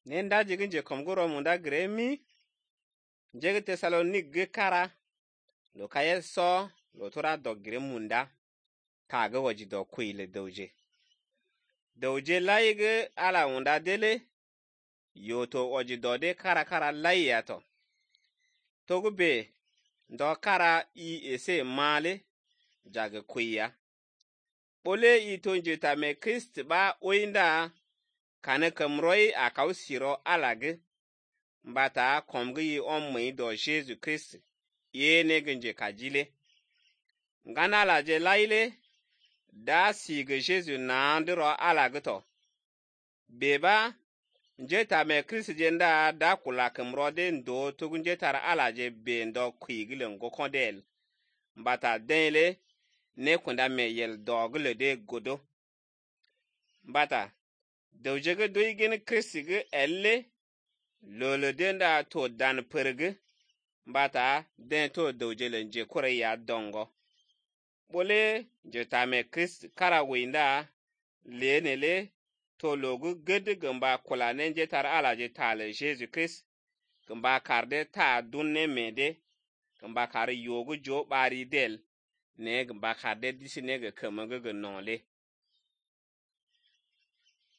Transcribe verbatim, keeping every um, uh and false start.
Nenda jigin je komgoro munda gremi. Jege Tesalonik ge kara. Lo kaye so lo tora do gre munda. Kaga waji do kuile doje. Doje laige ala munda dele. Yoto waji do de kara kara lai yato. Togu be do kara i ese male jage kuya. Bole i tonje ta me Christ ba oinda kane kamroi a kausiro alage. Mbata komgi omwe do Jesu Christ. Ye negenje kajile. Ngana la je laile. Da sige Jesu na andro alage to. Beba. Njeta me Christ jenda da kula kamrode ndo tugun jetara alaje be ndo kuigile ngo kondel. Mbata denle. Ne kunda me yel dogle de godo. Mbata. Dojege doigin Christ ge elle. Lolo denda to dan perge. Mbata den to dojele nje kore ya dongo. Bole jeta me Christ kara winda. Lenele. To logu gede gamba kula nenje tar alaje tale Jesu Christ. Gamba karde ta dunne mede. Gamba kare yogu jo bari del. Ne gamba karde disi nege kemenge genole.